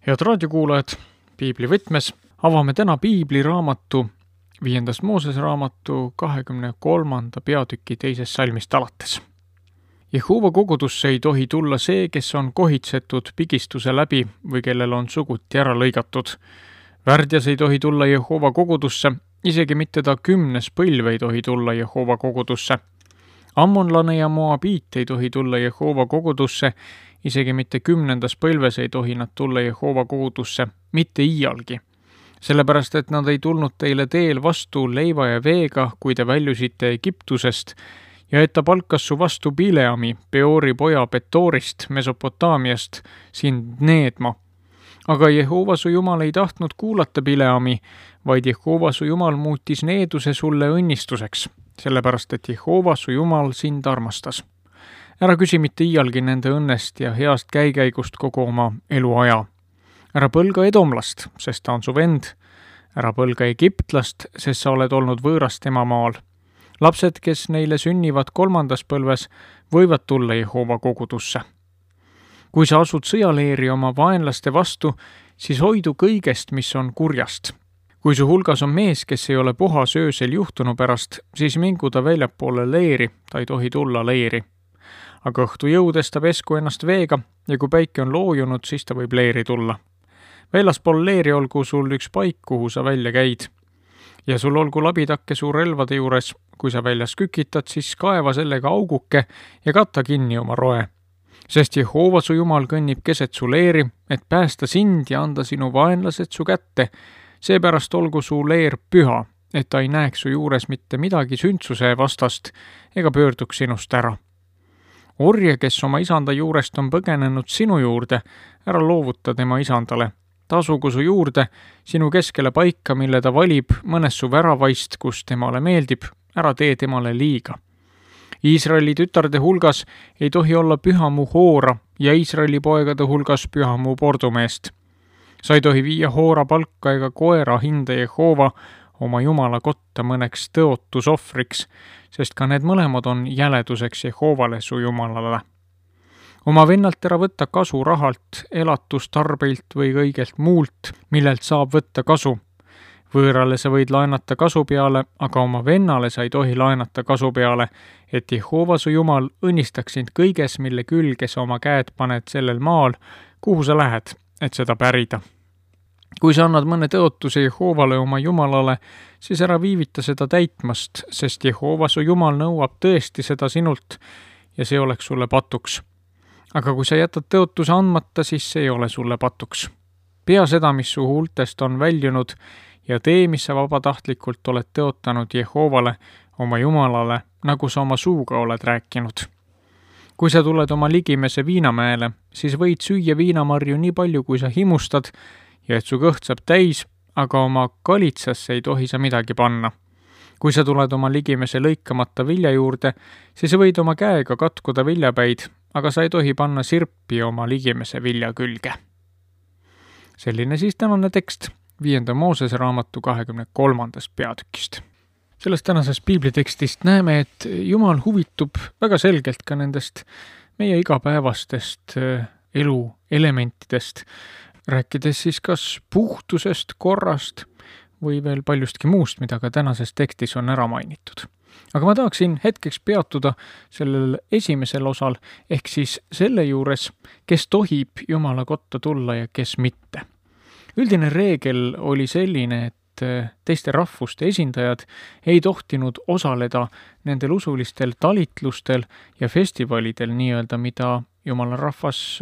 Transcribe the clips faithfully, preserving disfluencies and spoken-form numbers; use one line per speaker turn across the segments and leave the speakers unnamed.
Head raadiokuulajad, Piibli võtmes avame täna Piibli raamatu, viiendast Moosese raamatu kahekümne kolmanda peatüki teisest salmist alates. Jehova kogudusse ei tohi tulla see, kes on kohitsetud pigistuse läbi või kellel on suguti ära lõigatud. Värdjas ei tohi tulla Jehova kogudusse, isegi mitte ta kümnes põlv ei tohi tulla Jehova kogudusse. Ammonlane ja Moabiit ei tohi tulla Jehova kogudusse, isegi mitte kümnendas põlves ei tohi nad tulla Jehova kogudusse, mitte iialgi. Sellepärast, et nad ei tulnud teile teel vastu leiva ja veega, kui te väljusite Egiptusest, ja et ta palkas su vastu Bileami, Peori poja Petoorist, Mesopotaamiast, sind needma. Aga Jehova su Jumal ei tahtnud kuulata Bileami, vaid Jehova su Jumal muutis needuse sulle õnnistuseks, sellepärast, et Jehova su Jumal sind armastas. Ära küsi mitte iialgi nende õnnest ja heast käikäigust kogu oma eluaja. Ära põlga edomlast, sest ta on su vend. Ära põlga egiptlast, sest sa oled olnud võõras tema maal. Lapsed, kes neile sünnivad kolmandas põlves, võivad tulla Jehova kogudusse. Kui sa asud sõjaleeri oma vaenlaste vastu, siis hoidu kõigest, mis on kurjast. Kui su hulgas on mees, kes ei ole puhas öösel juhtunu pärast, siis mingu ta väljapoole leeri, ta ei tohi tulla leeri. Aga õhtu jõudes ta pesku ennast veega ja kui päike on loojunud, siis ta võib leeri tulla. Väljaspool leeri olgu sul üks paik, kuhu sa välja käid. Ja sul olgu labitakke su relvade juures, kui sa väljas kükitad, siis kaeva sellega auguke ja katta kinni oma roe. Sest Jehova su Jumal kõnnib keset su leeri, et päästa sind ja anda sinu vaenlased su kätte. Seepärast olgu su leer püha, et ta ei näeks su juures mitte midagi sündsuse vastast ega pöörduks sinust ära. Orje, kes oma isanda juurest on põgenenud sinu juurde, ära loovuta tema isandale. Tasugu su juurde, sinu keskele paika, mille ta valib mõnes su väravaist, kus temale meeldib, ära tee temale liiga. Iisraeli tütarde hulgas ei tohi olla pühamu hoora ja Iisraeli poegade hulgas pühamu pordumeest. Sa ei tohi viia hoora palka ega koera hinda Jehova oma Jumala kotta mõneks tõotusohvriks, sest ka need mõlemad on jäleduseks Jehovale su Jumalale. Oma vennalt ära võtta kasu rahalt, elatustarbeilt või kõigelt muult, millelt saab võtta kasu. Võõrale sa võid laenata kasu peale, aga oma vennale sa ei tohi laenata kasu peale, et Jehova su Jumal õnnistaks sind kõiges, mille külge sa oma käed paned sellel maal, kuhu sa lähed, et seda pärida. Kui sa annad mõne tõotuse Jehovale oma Jumalale, siis ära viivita seda täitmast, sest Jehova su Jumal nõuab tõesti seda sinult ja see oleks sulle patuks. Aga kui sa jätad tõotuse andmata, siis see ei ole sulle patuks. Pea seda, mis su huultest on väljunud ja tee, mis sa vabatahtlikult oled tõotanud Jehovale oma Jumalale, nagu sa oma suuga oled rääkinud. Kui sa tuled oma ligimese viinamäele, siis võid süüa viinamarju nii palju, kui sa himustad, ja et su kõht saab täis, aga oma kalitsasse ei tohi sa midagi panna. Kui sa tuled oma ligimese lõikamata vilja juurde, siis võid oma käega katkuda viljapäid, aga sa ei tohi panna sirpi oma ligimese vilja külge. Selline siis tänane tekst viienda Moosese raamatu kahekümne kolmandast peatükist. Sellest tänasest piiblitekstist näeme, et Jumal huvitub väga selgelt ka nendest meie igapäevastest elu elementidest, rääkides siis kas puhtusest, korrast või veel paljustki muust, mida ka tänases tekstis on ära mainitud. Aga ma tahaksin hetkeks peatuda sellel esimesel osal, ehk siis selle juures, kes tohib Jumala kotta tulla ja kes mitte. Üldine reegel oli selline, et teiste rahvuste esindajad ei tohtinud osaleda nendel usulistel talitlustel ja festivalidel nii-öelda, mida Jumala rahvas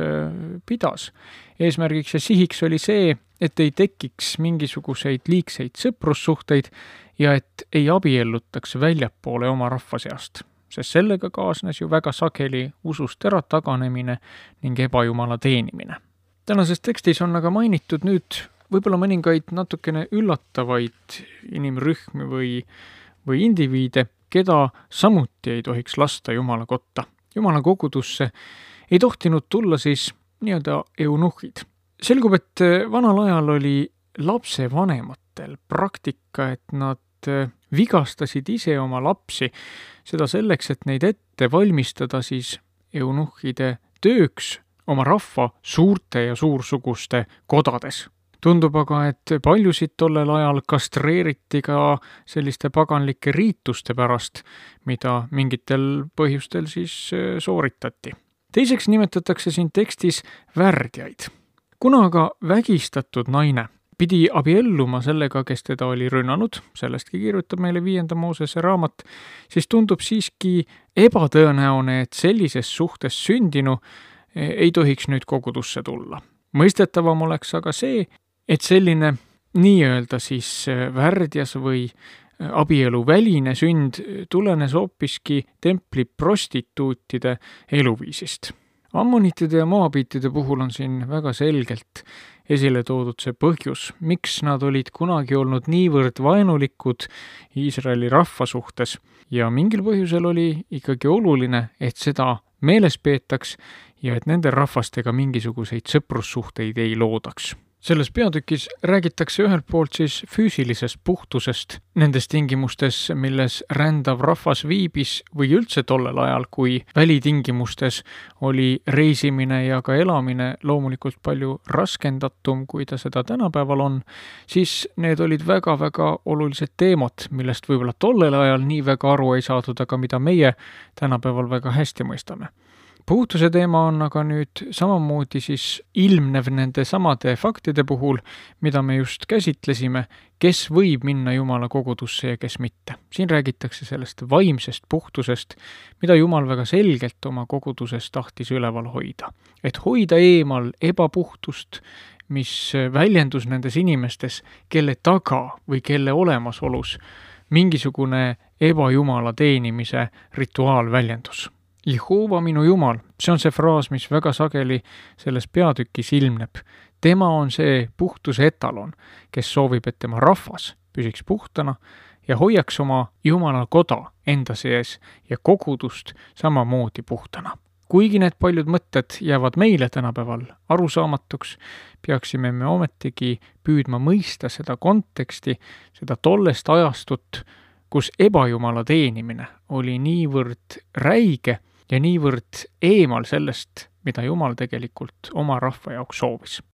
pidas. Eesmärgiks ja sihiks oli see, et ei tekiks mingisuguseid liigseid sõprussuhteid ja et ei abiellutaks väljapoole oma rahva seast, sest sellega kaasnes ju väga sageli usust ära taganemine ning ebajumala teenimine. Tänases tekstis on aga mainitud nüüd võib-olla mõningaid natukene üllatavaid inimrühmi või, või indiviide, keda samuti ei tohiks lasta Jumala kotta. Jumala kogudusse ei tohtinud tulla siis nii-öelda eunuhid. Selgub, et vanal ajal oli lapse vanematel praktika, et nad vigastasid ise oma lapsi, seda selleks, et neid ette valmistada siis eunuhide tööks, oma rahva suurte ja suursuguste kodades. Tundub aga, et paljusid tollel ajal kastreeriti ka selliste paganlike riituste pärast, mida mingitel põhjustel siis sooritati. Teiseks nimetatakse siin tekstis värdjaid. Kuna aga vägistatud naine pidi abielluma sellega, kes teda oli rünnanud, sellestki kirjutab meile viienda Moosese raamat, siis tundub siiski ebatõenäone, et sellises suhtes sündinu ei tohiks nüüd kogudusse tulla. Mõistetavam oleks aga see, et selline nii-öelda siis värdjas või abielu väline sünd tulenes hoopiski templi prostituutide eluviisist. Ammonitide ja moabiitide puhul on siin väga selgelt esile toodud see põhjus, miks nad olid kunagi olnud niivõrd vaenulikud Iisraeli rahva suhtes ja mingil põhjusel oli ikkagi oluline, et seda meeles peetaks ja et nende rahvastega mingisuguseid sõprussuhteid ei loodaks. Selles peatükis räägitakse ühelt poolt siis füüsilisest puhtusest nendes tingimustes, milles rändav rahvas viibis või üldse tollel ajal, kui välitingimustes oli reisimine ja ka elamine loomulikult palju raskendatum, kui ta seda tänapäeval on, siis need olid väga-väga olulised teemad, millest võib-olla tollel ajal nii väga aru ei saadud, aga mida meie tänapäeval väga hästi mõistame. Puhtuse teema on aga nüüd samamoodi siis ilmnev nende samade faktide puhul, mida me just käsitlesime, kes võib minna Jumala kogudusse ja kes mitte. Siin räägitakse sellest vaimsest puhtusest, mida Jumal väga selgelt oma koguduses tahtis üleval hoida. Et hoida eemal ebapuhtust, mis väljendus nendes inimestes, kelle taga või kelle olemasolus mingisugune ebajumala teenimise rituaal väljendus. Jehova minu Jumal, see on see fraas, mis väga sageli selles peatükis ilmneb. Tema on see puhtuse etalon, kes soovib, et tema rahvas püsiks puhtana ja hoiaks oma Jumala koda enda sees ja kogudust samamoodi puhtana. Kuigi need paljud mõtted jäävad meile tänapäeval arusaamatuks, peaksime me ometigi püüdma mõista seda konteksti, seda tollest ajastut, kus ebajumala teenimine oli niivõrd räige ja niivõrd eemal sellest, mida Jumal tegelikult oma rahva jaoks soovis.